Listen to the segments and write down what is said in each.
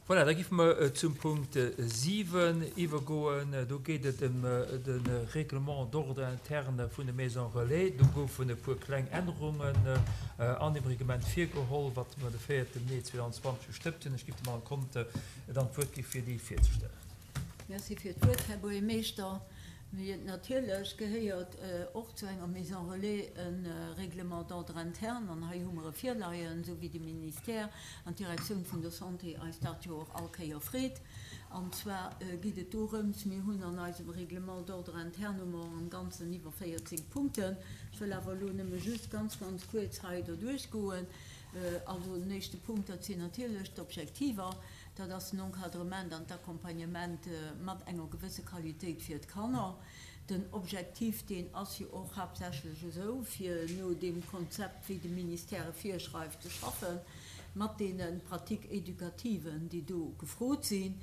Voilà, da géife mer zum Punkt 7 iwwergoen. Do geet et ëm de Règlement d'ordre interne vun de Maisons relais. Do goufen e puer kleng Ännerungen an deem Reglement virgeholl, wat mer de 4 Mee 2020 gestëmmt hunn. Ech géif dem Alain Conte dann d'Wuert gi fir déi virzestellen. Merci fir d'Wuert, Här Buergermeeschter. Mee natierlech gehéiert och zu enger Maison relais e Règlement d'ordre interne, an hei hu mer e virleien, esou wéi de Ministère an d'Direktioun vun der Santé eis dat jo och all Kéier freet. An zwar geet et dorëms, mir hunn an eisem Règlement d'ordre interne hu mer am Ganzen iwwer 14 Punkten. Ech wëll awer elo nëmme just ganz, ganz kuerz hei derduerch goen. Also den éischte Punkt, dat sinn natierlech d'Objektiver. Dat ass den Encadrement an d'Accompagnement mat enger gewësse Qualitéit fir d'Kanner. Den Objektiv, deen ass jo och haaptsächlech esou, fir no deem Konzept, wéi de Ministère e virschreift, ze schaffen, mat deene Pratiques éducatives, déi do gefrot sinn,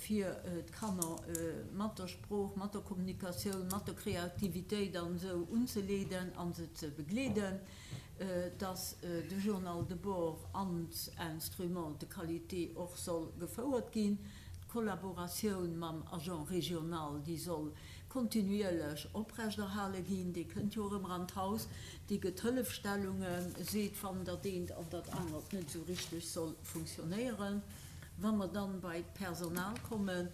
fir d'Kanner mat der Sprooch, mat der Kommunikatioun, mat der Kreativitéit an esou unzeleeden a se ze begleeden. dass de Journal de bord als Instrument de qualité och soll gefouert ginn. D'Kollaboratioun mam Agent régional, déi soll kontinuierlech oprechterhale ginn, dee kënnt jo erëm an d'Haus, dee gëtt Hëllefstellungen, seet, wann dat eent an dat anert net esou richteg soll funktionéieren. Wa mer dann bei d'Personal kommen,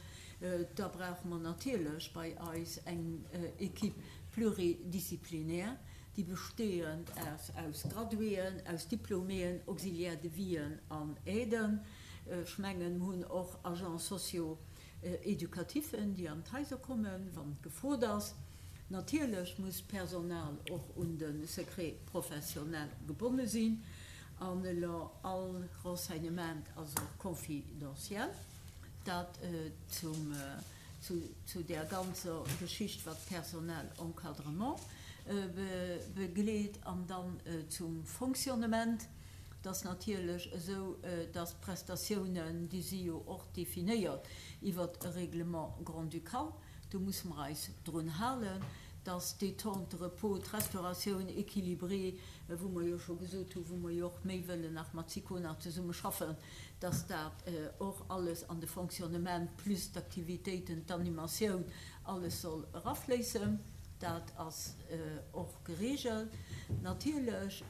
da brauche mer natierlech bei eis eng Équipe pluridisciplinaire, déi besteeënd ass aus Graduéen, aus Diploméen, Auxiliaires de vien an Aiden. Ech mengen, mer hunn och Agents socio-éducatifen, déi an d'Haiser kommen, wann et gefrot ass. Natierlech muss d'Personal och un de Secret professionnel gebonne sinn an elo all Renseignement ass och confidentiel. Dat zum. zu där ganzer Geschicht, wat d'Personnel encadrement begleet. An dann zum Fonctionnement. Et ass natierlech esou, dass d'Prestatiounen, déi si jo och definéiert iwwert e Règlement grand-ducal, do musse mer eis drun halen, dass d'Détente, de Repos, d'Restauratioun équilibrée, wou mer jo scho gesot hunn, wou mer jo och méi wëllen nach mat SICONA zesummeschaffen, dass dat och alles an de Fonctionnement plus d'Aktivitéiten, d'Animatioun, alles soll erafléissen. Dat ass och geregelt. Natierlech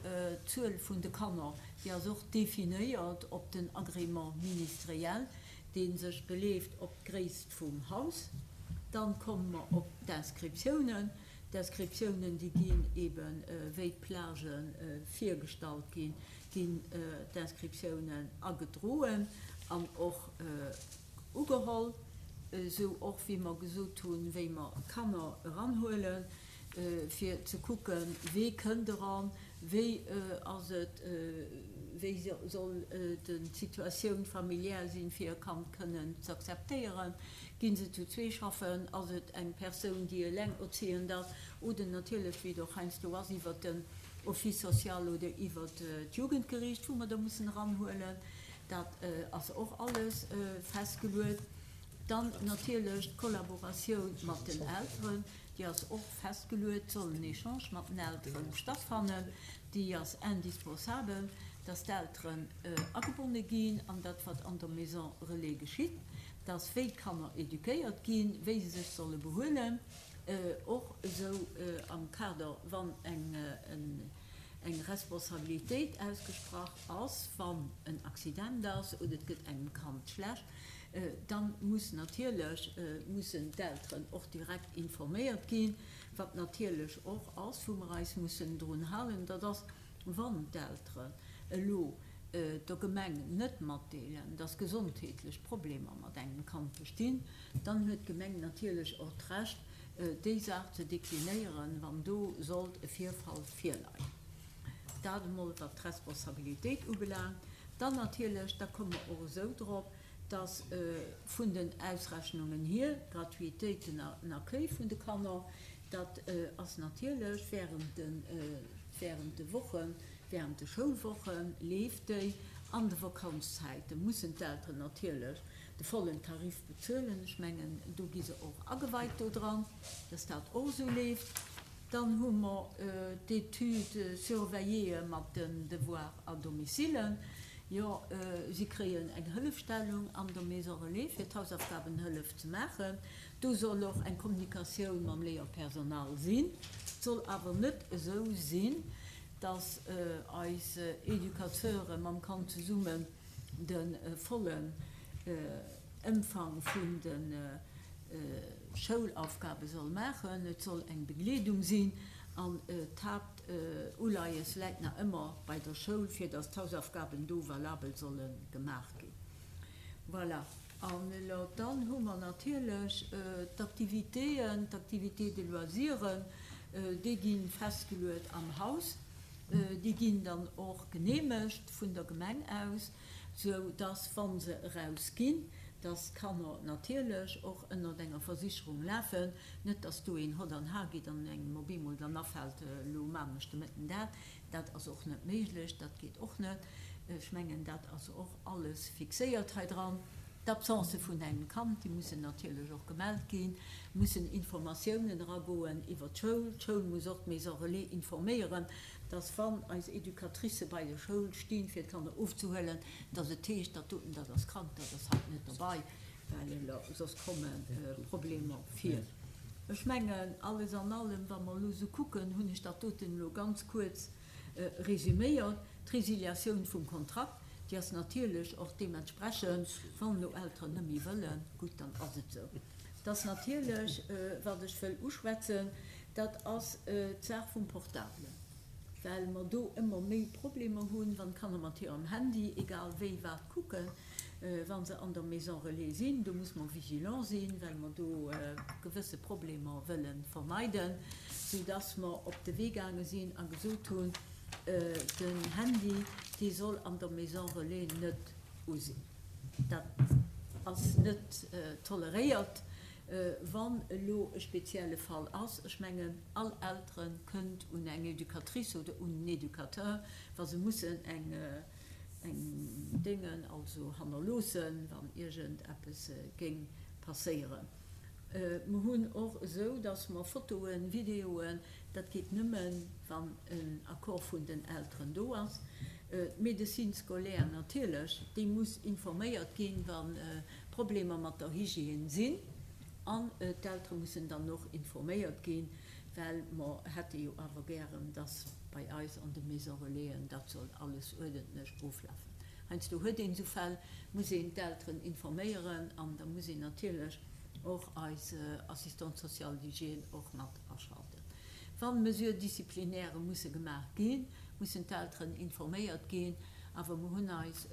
d'Zuel vun de Kanner, déi ass och definéiert op den Agrément ministériel, dee sech beleeft op d'Gréisst vum Haus. Dann komme mer op d'Inscriptiounen. D'Inscriptiounen, déi ginn eeben, wéi d'Plagen virgestallt ginn, ginn d'Inscriptiounen agedroen an och ugeholl, esou och wéi mer gesot hunn, wéi mer d'Kanner eranhuelen, fir ze kucken, wee kënnt eran, wéi ass et, wéi soll d'Situatioun familiär sinn, fir e Kand kënnen z'akzeptéieren, gi se zu zwee schaffen, ass et eng Persoun, déi elengerziehend ass, oder natierlech, wéi et och heiansdo ass, iwwert den Office social oder iwwert d'Jugendgericht, wou mer da mussen eranhuelen. Dat ass och alles festgeluet. Dann natierlech d'Kollaboratioun mat den Elteren, déi ass och festgeluet. Et soll en Echange mat den Eltere stattfannen. Déi ass indispensabel, dass d'Elteren agebonne ginn an dat, wat an der Maison relais geschitt, dass wéi d'Kanner éduquéiert ginn, wéi se sech solle behuelen. Och esou am Kader, wann eng Responsabilitéit ausgesprach ass, wann en Accident ass oder et gëtt engem Kand schlecht, da muss natierlech, mussen d'Elteren och direkt informéiert ginn. Wat natierlech och ass, wou mer eis mussen drun halen, dat ass, wann d'Elteren elo der Gemeng net matdeelen, dass gesondheetlech Problemer mat engem Kand bestinn, Dann huet d'Gemeng natierlech och d'Recht, déi Saach ze deklinéieren, wann do sollt e Virfall virleien. Dat emol wat d'Responsabilitéit ubelaangt. Dann natierlech, da komme mer och esou drop, dass vun den Ausrechnungen hier, d'Gratuitéit, den Accueil vun de Kanner, dat ass natierlech während de, während de Wochen, während de Schoulwoche leeft déi. An de Vakanzzäite mussen d'Elteren natierlech de vollen Tarif bezuelen. Ech mengen, do gi se och ageweit do dran, dass dat och esou leeft. Dann hu mer d'Études surveilléeë mat den Devoirs à domicile. Jo, si kréien eng Hëllefstellung an der Maison Relais, fir d'Hausaufgabenhëllef ze maachen. Do soll och eng Kommunikatioun mam Léierpersonal sinn. Et soll awer net esou sinn, dass eis Educateure mam Kand zesummen de vollen Ëmfang vun de Schoulaufgabe soll maachen. Et soll eng Begleedung sinn an d'Haapt. Uleies läit nach ëmmer bei der Schoul, fir dass d'Hausaufgaben do valabel solle gemaach ginn. Voilà. An elo dann hu mer natierlech d'Aktivitéen, d'Activités de loisiren, déi gi festgeluet am Haus. Déi ginn dann och geneemegt vun der Gemeng aus, sou dass, wa se erausginn, dass d'Kanner natierlech och ënnert enger Versicherung lafen, Net dass do een hott an har geet an engem op eemol dann afält, elo maan ech de Mëtten dat. Dat ass och net méiglech, dat geet och net. Ech mengen, dat ass och alles fixéiert hei dran. D'Absence vun engem Kand, déi mussen natierlech och gemellt ginn, mussen Informatiounen eragoen iwwer d'Schoul. D'Schoul muss och d'Maison Relais informéieren, dass wann eis Educatricë bei der Schoul stinn, fir d'Kanner ofzehuelen, dass et heescht, dat doten, dat ass krank, dat ass haut net dobei. Well soss komme Problemer vir. Ech mengen, alles an allem, wa mer elo esou kucken, hunn ech dat doten elo ganz kuerz resüméiert. D'Résiliatioun vum Kontrakt, déi ass natierlech och deementsprechend, wann elo Elteren net méi wëllen, gutt, dann ass et esou. Et ass natierlech, wat ech wëll uschwätzen, dat ass d'Saach vum Portable, well mer do ëmmer méi Problemer hunn, wann d'Kanner mat hirem Handy, egal wéi, wat kucken. Wa se an der Maison Relais sinn, do muss mer vigilant sinn, well mer do gewësse Problemer wëlle vermeiden, soudass mer op de Wee gaange sinn a gesot hunn, den Handy, dee soll an der Maison Relais net u sinn. Dat ass net toleréiert, wann elo e spezielle Fall ass. Ech mengen, all Eltere kënnt un eng Educatrice oder un en Educateur, wa se mussen eng eng Déngen also hannerloossen, wann iergend eppes géing passéieren. Mer hunn och esou, dass mer Fotoen, Videoen, dat geet nëmmen, wann en Accord vun den Elteren do ass. D'Médecine scolaire natierlech, déi muss informéiert ginn, wa Problemer mat der Hygiène sinn. An d'Eltere mussen dann och informéiert ginn, well mer hätte jo awer gären, dass bei eis an de Maison Relaisen dat soll alles uerdentlech oflafen. Heiansdo huet een esou Fäll, muss een d'Elteren informéieren an da muss een natierlech och eis Assistante sociale d'hygiène och mat aschalten. Wann Mesures disciplinaires musse gemaach ginn, mussen d'Elteren informéiert ginn, awer mer hunn eis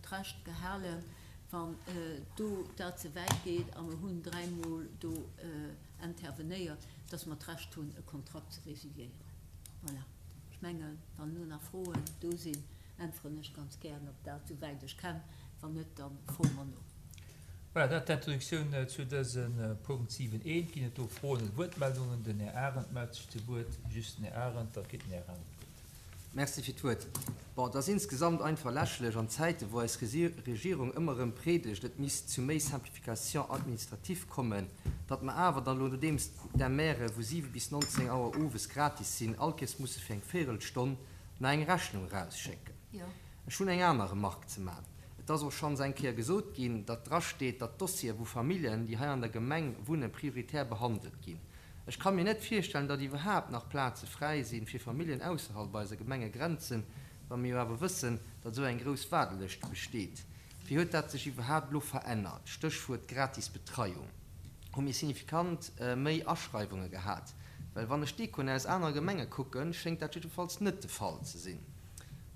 d'Recht gehalen, wann do dat ze wäit geet, a mer hunn dräimol do intervenéiert, dass mer d'Recht hunn, e Kontrakt ze résiliéieren. Voilà. Ech mengen, wann elo nach Froen do sinn, äntweren ech ganz gären op dat, souwäit ech kann. Wann net, da froe mer no. Voilà, dat d'Introduktioun zu dësem Punkt 7 I. Ginn et do Froen oder Wuertmeldungen? Den Här Arendt mellt sech zu Wuert. Just den Här Arendt, da kritt den Här Arendt d'Wuert. Merci fir d'Wuert. Bon, et ass insgesamt einfach lächerlech an Zäiten, wou eis Regierung ëmmer erëm preedegt, et misst zu méi Simplification administrative kommen, datt mer awer dann elo, nodeems d'MRe vu 7 bis 19 Auer owes gratis sinn, allkéiers musse fir eng Véirelstonn nach eng Rechnung erausschécken. Ech hunn eng aner Remarque ze man. Et ass och schonns eng Kéier gesot ginn, datt drasteet, datt d'Dossiere vu Familljen, déi hei an der Gemeng wunnen, prioritär behandelt ginn. Ech ka mir net virstellen, datt iwwerhaapt nach Plaze fräi si fir Familljen ausserhalb eiser Gemengegrenzen, wa mir jo awer wëssen, datt esou eng grouss Waardelëscht besteet. Wéi huet dat sech iwwerhaapt elo verännert? Stéchwuert gratis Betreiung. Hu mir signifikant méi Aschreiwunge gehat? Well wann ech d'Echoen aus anere Gemenge kucken, schéngt dat jiddefalls net de Fall ze sinn.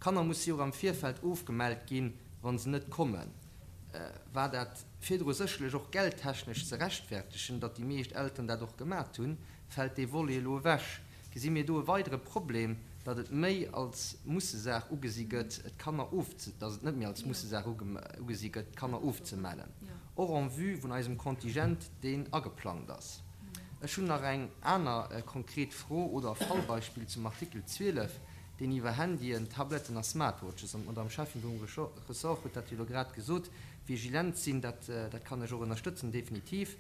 Kanner musse jo och am Virfeld ofgemellt ginn, wa se net kommen. War dat virdru sécherlech och geldtechnesch ze rechtfertegen, datt déi meescht Elteren dat och gemat hunn, fält dee Volet elo ewech. Gesi mir do e weidere Problem, datt et méi als Mussesaach ugesi gëtt, d'Kanner ofze, datt et net méi als Mussesaach ugesi gëtt, d'Kanner ofzemellen, och en vue vun eisem Contingent, deen ageplangt ass? Ech hunn nach eng aner konkret Fro oder e Fallbeispill zum Artikel 12, deen iwwer Handyen, Tabletten a Smartwatches, an d'Madame Schäffin vum Ressort huet dat jo elo grad gesot, vigilent sinn, dat, dat kann ech och ënnerstëtzen, definitiv.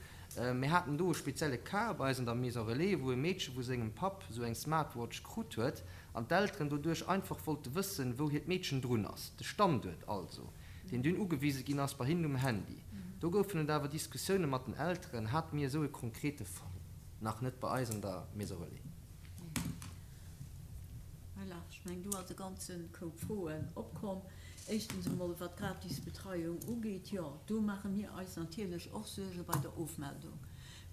Mir haten do e spezielle Cas bei eis an der Maison Relais, wou e Meedche vu sengem Papp esou eng Smartwatch krut huet. An d'Elteren doduerch einfach wollte wëssen, wou hiert Meedchen drun ass. De Standuert also, deen dunn ugewise ginn ass bei hinnen um Handy. Do goufen et awer Diskussioune mat den Elteren, hate mir esou e konkrete Fall nach net bei eis an der Maison Relais. Voilà, ech mengen, do ass e ganze Koup Froen opkomm. Éischtens emol, wat d'gratis Betreiung ugeet, jo, do maache mir eis natierlech och Suerge bei der Ofmeldung,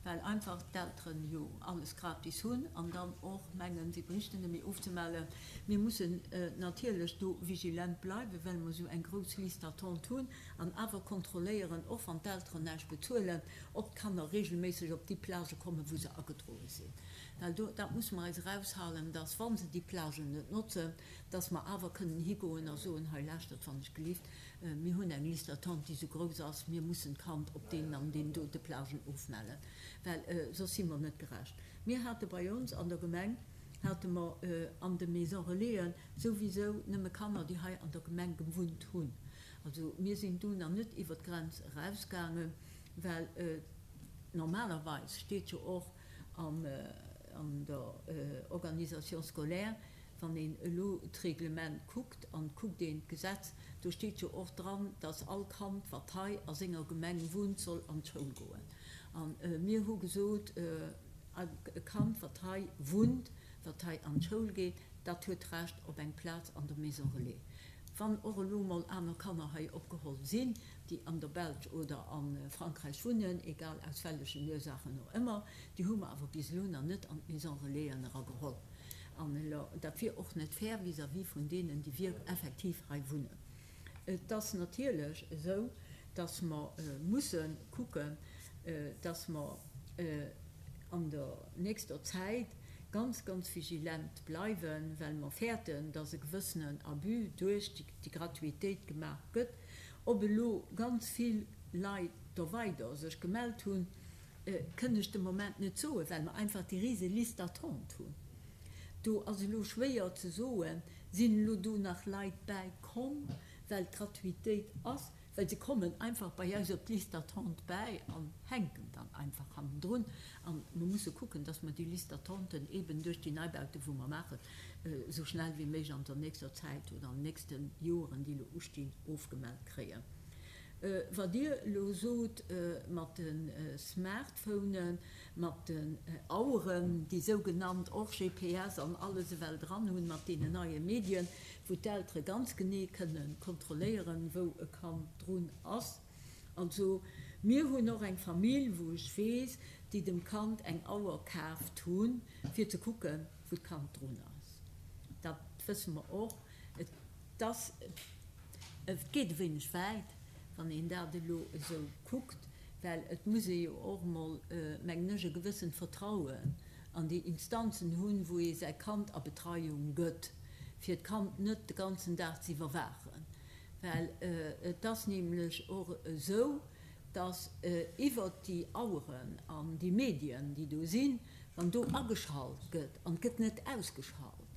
well einfach d'Elteren jo alles gratis hunn an dann och mengen, si bréichten net méi ofzemellen. Mir mussen natierlech do vigilent bleiwen, well mer esou eng grouss Liste d'attente hunn an awer kontrolléieren, och wann d'Elteren näischt bezuelen, ob d'Kanner regelméisseg op déi Plagë kommen, wou se agedroe sinn. Well do, dat musse mer eis eraushalen, dass, wa se déi Plagen net notzen, dass mer awer kënnen higoen a soen, hei lauschtert wann ech gelift, mir hunn eng Liste d'attente, déi esou grouss ass, mir mussen d'Kand op deenen an deenen dote Plagen ofmellen, well soss si mer net gerecht. Mir hate bei ons an der Gemeng, hate mer an de Maisons Relaisen souwisou nëmme Kanner, déi hei an der Gemeng gewunnt hunn. Also mir sinn do nach net iwwer d'Grenz erausgaangen, well normalerweis steet jo och an der Organisation scolaire, Wann een elo d'Reglement kuckt an et kuckt een d'Gesetz, do steet jo och dran, dass all Kand, wat hei a senger Gemeng wunnt, soll an d'Schoul goen. A mir hu gesot, e Kand, wat hei wunnt, wat hei an d'Schoul geet, dat huet d'Recht op eng Plaz an der Maison relais. Wann och elo mol aner Kanner hei opgeholl sinn, déi an der Belsch oder a Frankräich wunnen, egal aus wellechen Ursaachen och ëmmer, déi hu mer awer bis elo nach net an d'Maison relaisen erageholl. An elo, dat wier och net fair vis-à-vis vun deenen, déi wierk effektiv hei wunnen. Et ass natierlech esou, dass mer musse kucken, dass mer an der nächster Zäit ganz, ganz vigilent bleiwen, well mer fäerten, dass e gewëssenen Abus duerch déi Gratuitéit gemaach gëtt. Ob elo ganz vill Leit do weider sech gemellt hunn, Kënn ech de Moment net soen, well mer einfach déi rise Liste d'attente hunn. Do ass elo schwéier ze soen, sinn elo do nach Leit bäi komm, well d'Gratuitéit ass, well se kommen einfach bei eis op d'Liste d'attente bäi an hänken dann einfach hannendrun. A mer musse kucken, dass mer déi Liste d'attenten eeben duerch déi Neibaute wou mer maachen, esou schnell wéi méiglech an der nächster Zäit oder an den nächste Joeren, déi elo ustinn, ofgemellt kréien. Wat Dir elo sot mat de Smartphonen, mat den Aueren, déi sougenannt och GPS an alles ewell dran hunn, mat deenen neie Medien, wou d'Eltere ganz genee kënne kontrolléieren, wou e Kand drun ass. Also mir hunn och eng Famill, wou ech weess, déi dem Kand eng Auer kaaft hunn, fir ze kucken, wou d'Kand drun ass. Dat wësse mer och. Et ass, et geet e wéineg wäit, wann een dat elo esou kuckt, well et muss ee jo och emol, mengen ech, e gewëssent Vertrauen an déi Instanzen hunn, wou ee säi Kand a Betreiung gëtt, fir d'Kand net de ganzen Dag ze iwwerwaachen. Well et ass nämlech och esou, dass iwwert déi Aueren an déi Medien, déi do sinn, wann do ageschalt gëtt an et gëtt net ausgeschalt,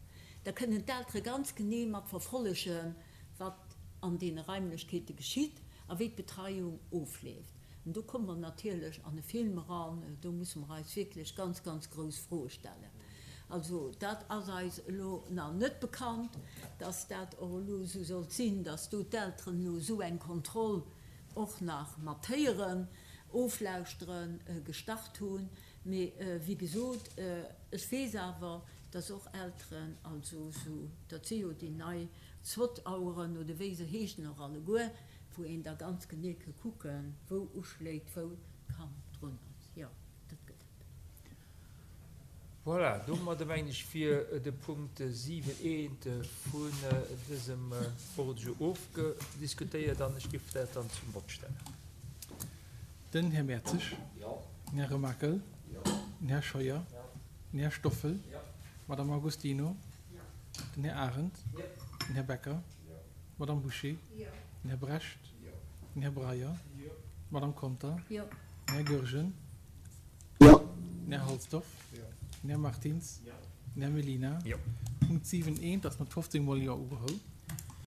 Da kënnen d'Eltere ganz genee mat verfollegen, wat an deene Raimlechkeete geschitt a wéi d'Betreiung ofleeft. An do komme mer natierlech an e Film eran, do musse mer eis wierklech ganz, ganz grouss Froe stellen. Also dat ass eis elo nach net bekannt, dass dat och elo esou sollt sinn, dass do d'Elteren elo esou eng Kontroll och nach mat héieren, oflauschteren, gestart hunn. Mee wéi gesot, ech weess awer, dass och Elteren, also esou, dat si jo déi nei Zwot-Aueren oder wéi se heeschen och alleguer, wou een da ganz genee ke kucken, wou uschléit, wou d'Kand drun ass. Jo, dat gëtt et. Voilà, domadder mengen ech wier de Punkt 7 eent vun dësem Ordre du jour ofgediskutéiert an ech géif dat dann zum Vott stellen. Den Här Mertzig. Den Här Remakel. Den Här Scheuer. Den Här Stoffel. D'Madame Agostino. Den Här Arendt. Den Här Becker. D'Madame Bouché. Den Här Brecht. Den Här Breyer. D'Madame Conter. Den Här Goergen. Den Här Halsdorf. Den Här Martins. Den Här Mellina. Punkt 7 eent ass mat 15 mol Jo ugeholl.